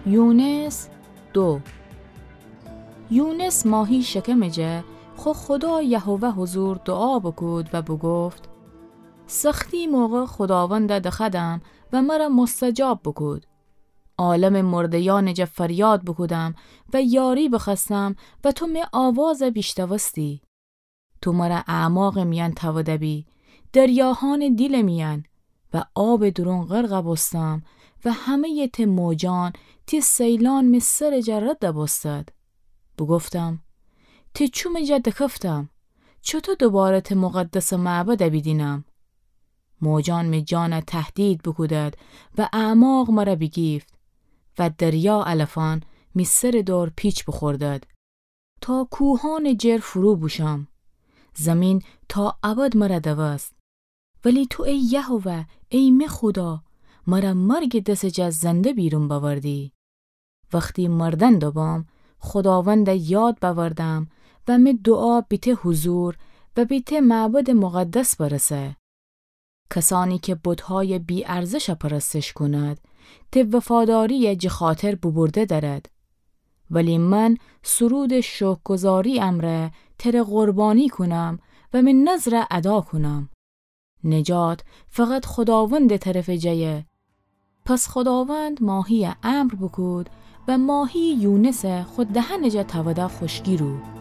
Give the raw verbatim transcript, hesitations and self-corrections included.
یونس دو. یونس ماهی شکمٚ جا خو خدا یهوه حضور دوعا بوکود و بوگفت: سختی موقع خوداوندَ دخوأدم و مر مستجاب بوکود. عالمٚ مرده‌یأنٚ جا فریاد بوکودم و یاری بخوأستم و تو می آوازَ بیشنوستی. تو مر اعماقٚ میأن تأوده‌بی، دریاهانٚ دیلٚ میأن، و آبٚ دورون غرقَ بوستم و همه‌یٚ ته موجأن، ته سیلأن می سرٚ جا ردَ بوستد. بوگفتم: ته چومٚ جا دکفتم، چوطو دوباره ته مقدسٚ معبدَ بیدینم؟ موجأن می جانَ تهدید بوکودد و اعماق مر بیگیفت و دریا علفأن می سرٚ دور پیچ بوخوردد. تا کوهأنٚ جر فرو بوشم. زیمین تا ابد مر دوست. ولی تو ای یهوه، ای می خودا، مر مرگٚ دسٚ جا زنده بیرون بأوردی. وختی مردن دوبام، خوداوندَ یاد بأوردم و می دوعا بی ته حضور و بی ته معبدٚ مقدس برسه. کسأنی کی بتهایٚ بی‌ارزشَ پرستش کونید، ته وفاداریَ جٚه خاطر بوبورده دأرید. ولی من سرودٚ شکرگزاری امرأ تره قربانی کونم و می نذرَ ادا کونم. نجات فقط خوداوندٚ طرفٚ جایه. پس خوداوند ماهیَ امر بوکود و ماهی یونسَ خو دهنٚ جا تأوده خوشکی رو.